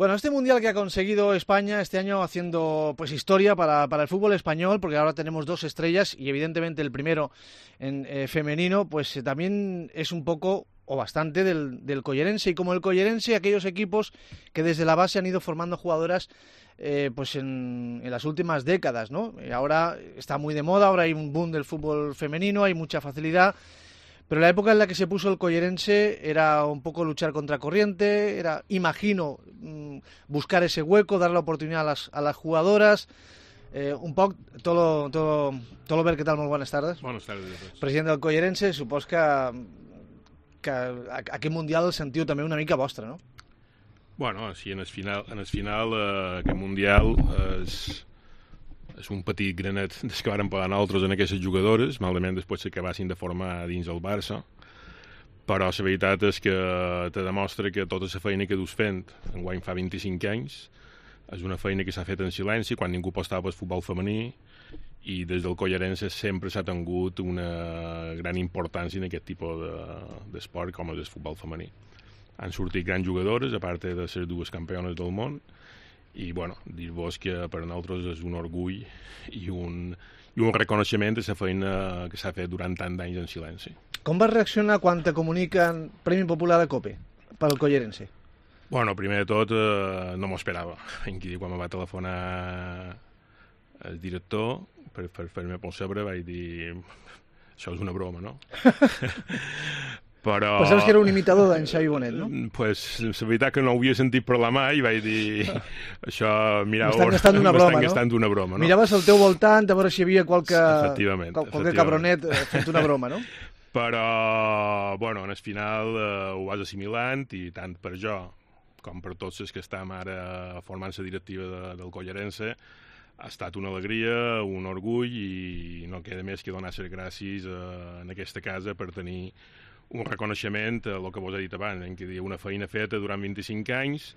Bueno, este mundial que ha conseguido España este año haciendo pues historia para el fútbol español, porque ahora tenemos dos estrellas y evidentemente el primero en femenino, pues también es un poco o bastante del Collerense, y como el Collerense, aquellos equipos que desde la base han ido formando jugadoras pues en las últimas décadas, ¿no? Ahora está muy de moda, ahora hay un boom del fútbol femenino, hay mucha facilidad. Pero la época en la que se puso el Collerense era un poco luchar contra corriente, era, imagino, buscar ese hueco, dar la oportunidad a las jugadoras. Un poc, Tolo, què tal? Molt bones tardes. Bones tardes a tots. President del Collerense, supos que aquest Mundial el sentiu també una mica vostre, no? Bueno, sí, en el final aquest Mundial és un petit granet des que varen pagar nosaltres en aquestes jugadores, malament després s'acabassin de formar dins el Barça, però la veritat és que te demostra que tota la feina que dus fent enguany fa 25 anys és una feina que s'ha fet en silenci quan ningú apostava pel futbol femení, i des del Collerense sempre s'ha tingut una gran importància en aquest tipus d'esport com és el futbol femení. Han sortit grans jugadores, a part de les dues campiones del món, i bueno, dir-vos que per a nosaltres és un orgull i un reconeixement de la feina que s'ha fet durant tant d'anys en silenci. Com vas reaccionar quan te comuniquen Premi Popular de COPE pel Collerense? Bueno, primer de tot no m'ho esperava. Quan me va telefonar el director per fer-me percebre vaig dir això és una broma, no? Però pensaves que era un imitador d'en Xavi Bonet, no? Pues la veritat que no ho havia sentit parlar mai i vaig dir això, mireu, m'estan gastant d'una broma, no? Miraves al teu voltant a veure si hi havia qualque cabronet fent una broma, no? Però, bueno, en el final ho vas assimilant, i tant per jo com per tots els que estem ara formant la directiva del Collerense ha estat una alegria, un orgull, i no queda més que donar les gràcies en aquesta casa per tenir un reconeixement a el que vos he dit abans, en què una feina feta durant 25 anys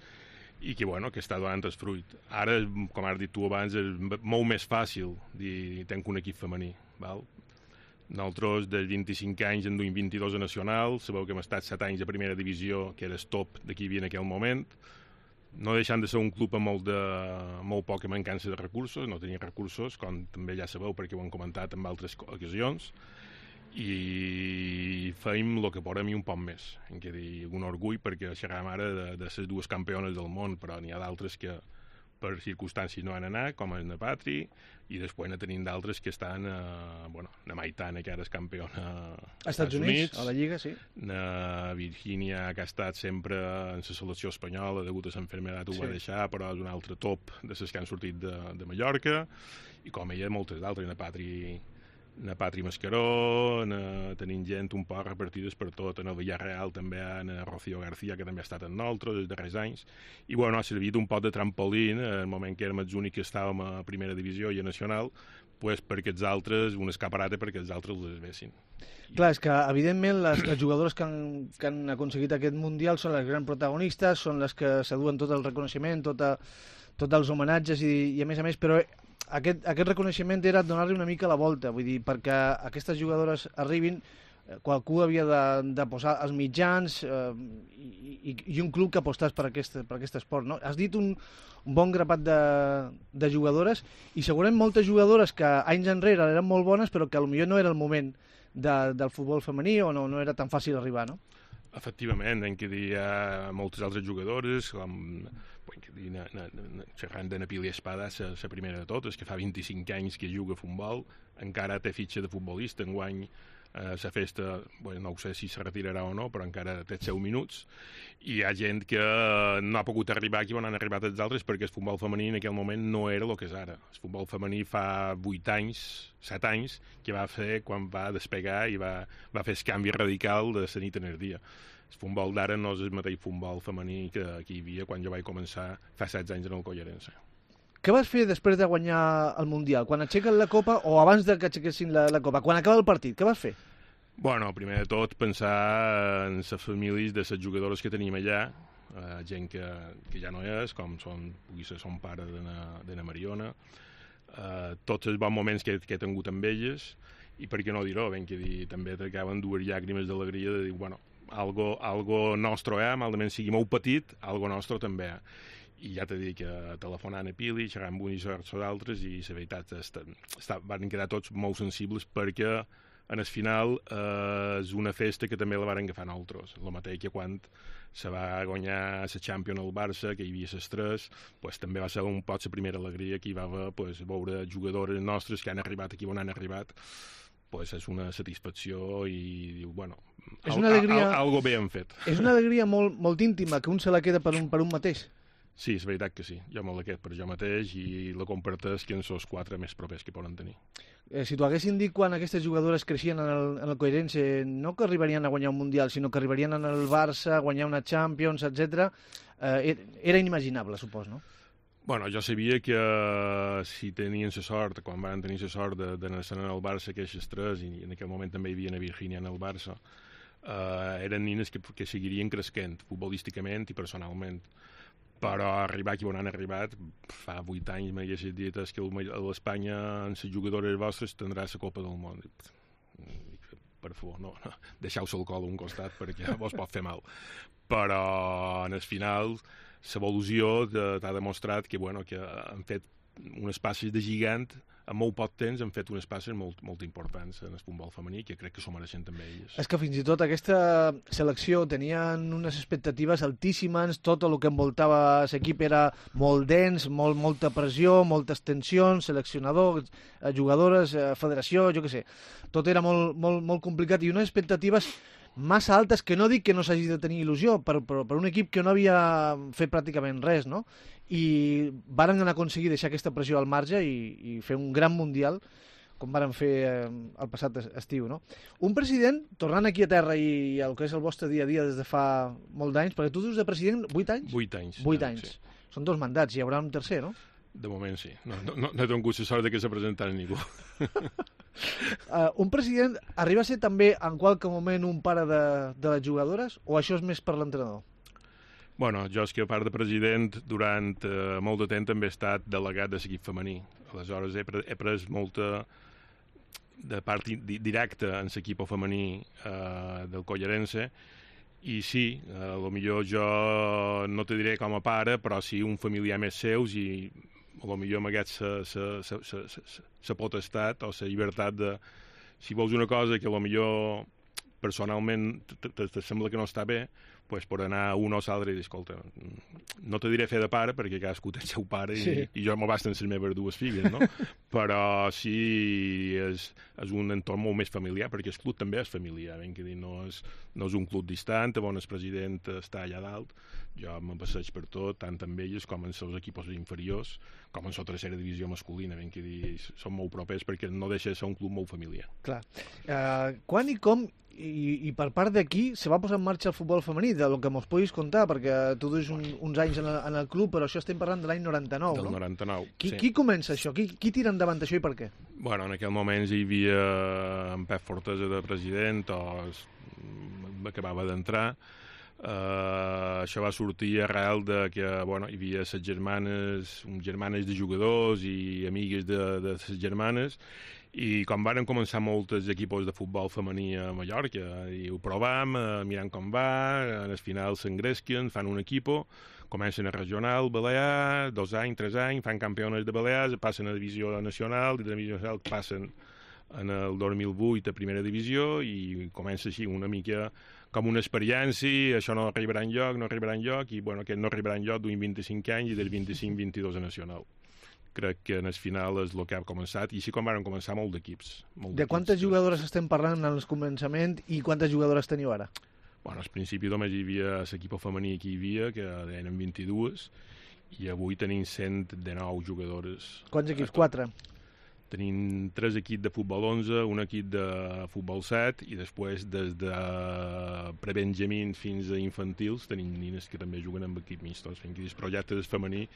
i que, bueno, que està donant el fruit. Ara, com has dit tu abans, és molt més fàcil dir tenc un equip femení. Val? Nosaltres, dels 25 anys, en duim 22 a nacional, sabeu que hem estat 7 anys a primera divisió, que era el top d'aquí havia en aquell moment, no deixant de ser un club amb molt poca mancança de recursos, no tenia recursos, com també ja sabeu perquè ho hem comentat en altres ocasions, i feim el que podem i un poc més. En què dir un orgull, perquè xerràvem ara de les dues campiones del món, però n'hi ha d'altres que per circumstàncies no han anat, com és na Patri, i després ne tenim d'altres que estan na Maitana, que ara és campiona als Estats Units, a la Lliga, sí. Na Virgínia, que ha estat sempre en la selecció espanyola, degut a l'enfermedat ho va deixar, però és un altre top de les que han sortit de Mallorca, i com ella, moltes d'altres, na Patri Mascaró, tenim gent un poc repartides per tot, en el Villarreal també, na Rocío García, que també ha estat amb nosaltres els darrers anys, i bueno, ha servit un poc de trampolín en el moment que érem els únics que estàvem a primera divisió i a nacional, pues, perquè els altres, un escaparate perquè els altres les vessin. Clar, és que evidentment les jugadores que han aconseguit aquest Mundial són les grans protagonistes, són les que s'aduen tot el reconeixement, tots els homenatges i a més, però aquest reconeixement era donar-li una mica la volta, vull dir, perquè aquestes jugadores arribin, qualcú havia de posar els mitjans i un club que apostàs per aquest esport, no? Has dit un bon grapat de jugadores, i segurament moltes jugadores que anys enrere eren molt bones, però que potser no era el moment del futbol femení, o no era tan fàcil arribar, no? Efectivament, en què hi ha moltes altres jugadores, com xerrant de Napili Espada, la primera de totes, que fa 25 anys que juga a futbol, encara té fitxa de futbolista, enguany la festa, no sé si se retirarà o no, però encara té 10 minuts, i hi ha gent que no ha pogut arribar aquí on han arribat els altres, perquè el futbol femení en aquell moment no era el que és ara. El futbol femení fa 8 anys, 7 anys, que va fer quan va despegar i va fer el canvi radical de la nit en el dia. El futbol d'ara no és el mateix futbol femení que hi havia quan jo vaig començar fa 16 anys en el Collerense. Què vas fer després de guanyar el Mundial? Quan aixequen la Copa o abans de que aixequessin la Copa? Quan acaba el partit, què vas fer? Bueno, primer de tot pensar en les famílies de les jugadores que tenim allà, gent que ja no és, com pugui ser son pare de na Mariona, tots els bons moments que he tingut amb elles, i per què no dir-ho, ben que dir, també t'acaben dues llàgrimes d'alegria de dir, bueno, algo nostre, malament sigui molt petit, algo nostre també. i ja t'he dit que telefonant a Pili, xerrant amb un i d'altres, i la veritat van quedar tots molt sensibles perquè en el final és una festa que també la van agafar nosaltres, el mateix que quan se va guanyar la Champions al Barça, que hi havia l'estrès, pues, també va ser un poc la primera alegria que hi va haver, pues, veure jugadors nostres que han arribat aquí on han arribat, pues, és una satisfacció i diu, bueno, és una alegria, algo bé han fet. És una alegria molt, molt íntima, que un se la queda per un mateix. Sí, és veritat que sí. Jo me la quedo per jo mateix i la comparteix que en els 4 més propers que poden tenir. Si t'ho haguessin dit quan aquestes jugadores creixien en el Coirense, no que arribarien a guanyar un Mundial, sinó que arribarien en el Barça, a guanyar una Champions, etc. Era inimaginable, supos, no? Bueno, jo sabia que si tenien la sort, quan van tenir la sort d'anar en el Barça, que aquestes 3, i en aquell moment també hi havia a Virgínia en el Barça, eren nines que seguirien creixent futbolísticament i personalment. Però arribar aquí on han arribat, fa 8 anys m'haguessis dit que a l'Espanya, en les jugadores vostres, tindrà la Copa del Món. Per favor, no, deixeu-se el col a un costat perquè vos pot fer mal. Però, en el final, l'evolució t'ha demostrat que, bueno, que han fet unes passes de gigant, en molt poc temps han fet unes passes molt importants en el futbol femení, que crec que s'ho mereixen també elles. És que fins i tot aquesta selecció tenien unes expectatives altíssimes, tot el que envoltava l'equip era molt dens, molta pressió, moltes tensions, seleccionador, jugadores, federació, jo què sé. Tot era molt complicat i unes expectatives massa altes, que no dic que no s'hagi de tenir il·lusió, per un equip que no havia fet pràcticament res, no? I varen aconseguir deixar aquesta pressió al marge i fer un gran Mundial, com varen fer el passat estiu, no? Un president, tornant aquí a terra i el que és el vostre dia a dia des de fa molt d'anys, perquè tu dius de president 8 anys? 8 anys. 8 anys. Sí. Són 2 mandats, hi haurà un tercer, no? De moment sí. No he tingut la sort que se presentara ningú. Un president arriba a ser també en qualque moment un pare de les jugadores o això és més per l'entrenador? Bueno, jo és que a part de president durant molt de temps també he estat delegat de l'equip femení. Aleshores he pres molta de part directa en l'equip femení del Collarense i sí, potser jo no te diré com a pare, però sí un familiar més seus i potser m'hagués la potestat o la llibertat de, si vols una cosa que potser personalment te sembla que no està bé, pues per anar un o l'altre i dir, escolta, no te diré fer de pare perquè cadascú té el seu pare i jo m'ho basten les meves 2 filles, no? Però sí és un entorn molt més familiar, perquè el club també és familiar, ben que dir, no és un club distant, on el president està allà dalt, jo me passeig per tot, tant amb elles com en els equips inferiors, com en la tercera divisió masculina, ben que dir, són molt propers perquè no deixa de ser un club molt familiar. Clar. Quan i com i per part d'aquí se va posar en marxa el futbol femení, del que mos puguis contar, perquè tu duis uns anys en el club, però això estem parlant de l'any 99, no? Del 99, sí. Qui comença això? Qui tira endavant això i per què? Bueno, en aquell moment hi havia en Pep Fortesa de president, acabava d'entrar. Això va sortir arrel de que bueno, hi havia les germanes de jugadors i amigues de les germanes, i quan varen començar molts equips de futbol femení a Mallorca, i ho provam, mirant com va, al final s'engresquen, fan un equip, comencen a regional, Balear, 2 anys, 3 anys, fan campiones de Balears, passen a divisió nacional, de divisió nacional passen en el 2008 a primera divisió i comença així una mica com una experiència, això no arribarà enlloc, i bueno, aquest no arribarà enlloc d'un 25 anys i del 25-22 a nacional. Crec que en el final és el que ha començat, i així com van començar molt d'equips. De quantes jugadores estem parlant en el començament i quantes jugadores teniu ara? Bueno, al principi només hi havia l'equip femení que hi havia, que eren 22, i avui tenim 119 jugadores. Quants equips? 4? Tenim 3 equips de futbol 11, un equip de futbol 7, i després des de prebenjamins fins a infantils tenim nines que també juguen amb equip mixtos. Els projectes femení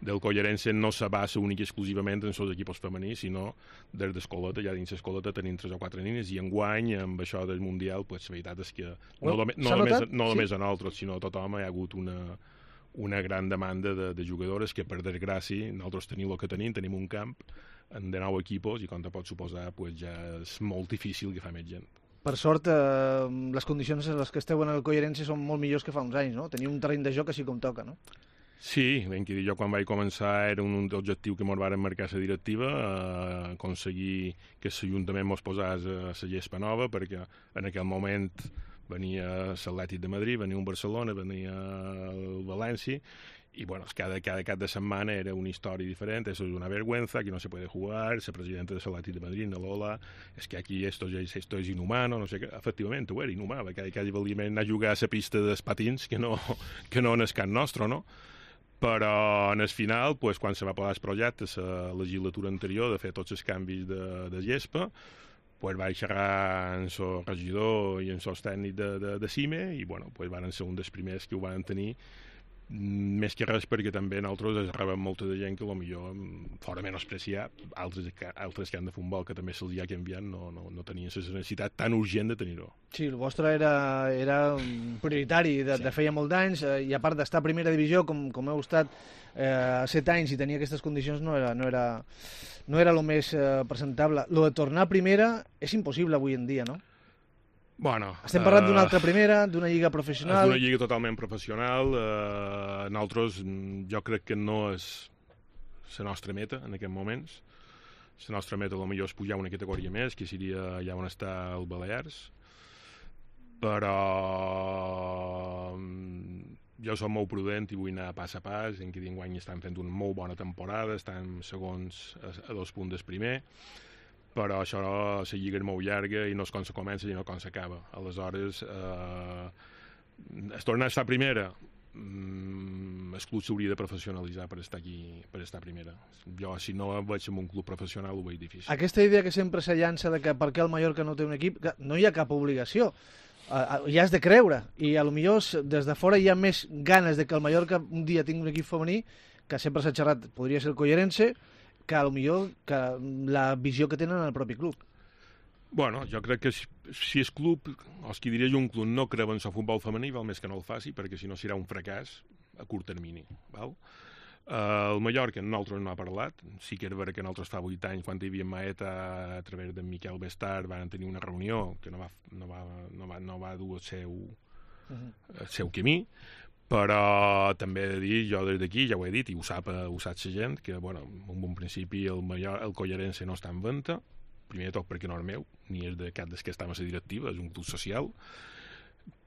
del Collarense no se basa únic i exclusivament en els equips femenins, sinó des d'escoleta, ja dins l'escoleta tenim 3 o 4 nines, i enguany, amb això del Mundial, pues, la veritat és que no només a nosaltres, sinó a tothom hi ha hagut una gran demanda de jugadores que, per desgràcia, nosaltres tenim el que tenim un camp de 9 equips, i com te pots suposar, pues, ja és molt difícil que fa més gent. Per sort, les condicions en les que esteu en el Collarense són molt millors que fa uns anys, no? Teniu un terreny de joc així com toca, no? Sí, ben que dir, jo quan vaig començar era un objectiu que ens varen marcar la directiva, aconseguir que l'Ajuntament ens posés a la gespa nova, perquè en aquell moment venia l'Atlètic de Madrid, venia un Barcelona, venia el València, y bueno, cada cap de setmana era una història diferent. Eso es una vergüenza, aquí no se puede jugar, el presidente de l'Atlètic de Madrid, de Lola, es que aquí esto es inhumano, no sé què. Efectivament, ho era inhumà, perquè quasi volia anar a jugar a la pista dels patins, que no en el camp nostre, no? Però en el final, pues, quan se va aprovar el projecte la legislatura anterior de fer tots els canvis de gespa, pues vaig xerrar amb el regidor i amb el tècnic de CIME i bueno, pues van ser un dels primers que ho van tenir, més que res perquè també nosaltres rebem molta de gent que potser fora menospreciar altres que han de futbol que també se'ls ha canviat no tenien la necessitat tan urgent de tenir-ho. Sí, el vostre era prioritari de feia molts anys i a part d'estar a primera divisió com heu estat 7 anys i tenir aquestes condicions no era el més presentable. Lo de tornar a primera és impossible avui en dia, no? Bueno, estem parlant d'una altra primera, d'una lliga professional. És una lliga totalment professional. Nosaltres, jo crec que no és la nostra meta en aquests moments. La nostra meta potser és pujar una categoria més, que seria allà on està el Balears. Però jo soc molt prudent i vull anar pas a pas. En que enguany estan fent una molt bona temporada, estan segons a 2 punts del primer. Però això, la lliga és molt llarga i no és com se comença i no com s'acaba. Aleshores, es torna a estar primera. El club s'hauria de professionalitzar per estar aquí, per estar primera. Jo, si no vaig en un club professional, ho veig difícil. Aquesta idea que sempre se llança de que per què el Mallorca no té un equip, no hi ha cap obligació. Ja has de creure. I a lo millor des de fora hi ha més ganes de que el Mallorca un dia tingui un equip femení, que sempre s'ha xerrat, podria ser el Collerense, que potser que la visió que tenen en el propi club. Bueno, jo crec que si el club, o els que diria un club, no creu en el futbol femení, val més que no el faci, perquè si no serà un fracàs a curt termini. Val? El Mallorca nosaltres no ha parlat. Sí que era vera que nosaltres fa 8 anys, quan hi havia Maeta, a través de Miquel Bestard, van tenir una reunió que no va dur el seu camí. Però també he de dir, jo des d'aquí ja ho he dit i ho sap la gent, que bueno, en un principi el Collerense no està en venda, primer de tot perquè no és meu, ni és de cap dels que estem a la directiva, és un club social,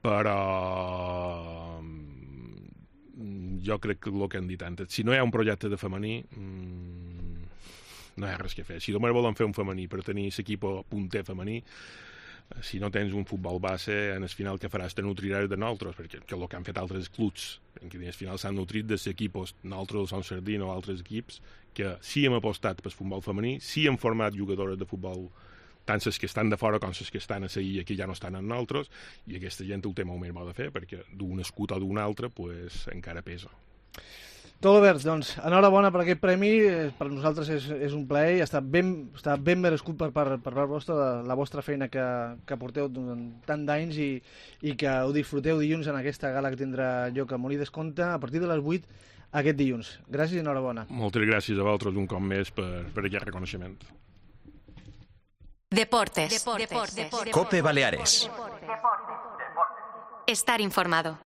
però jo crec que el que han dit antes, si no hi ha un projecte de femení, no hi ha res que fer. Si només volen fer un femení per tenir l'equip punter femení, si no tens un futbol base, en el final que faràs te nutriràs de nosaltres, perquè el que han fet altres clubs, en què al final s'han nutrit dels equips, nosaltres som Sardina o altres equips, que sí hem apostat pel futbol femení, sí hem format jugadores de futbol, tant les que estan de fora com les que estan a seguir que ja no estan en nosaltres, i aquesta gent ho té molt més bo de fer, perquè d'un escut o d'un altre pues, encara pesa. Tot Albert, doncs, enhorabona per aquest premi, per nosaltres és un plaer i està ben merescut per part vostra la vostra feina que porteu durant tant d'anys i que ho disfruteu dilluns en aquesta gala que tindrà lloc a Molí d'Esconte a partir de les 8 aquest dilluns. Gràcies i enhorabona. Moltes gràcies a vosaltres un cop més per aquest reconeixement. Deportes. COPE Baleares. Estar informado.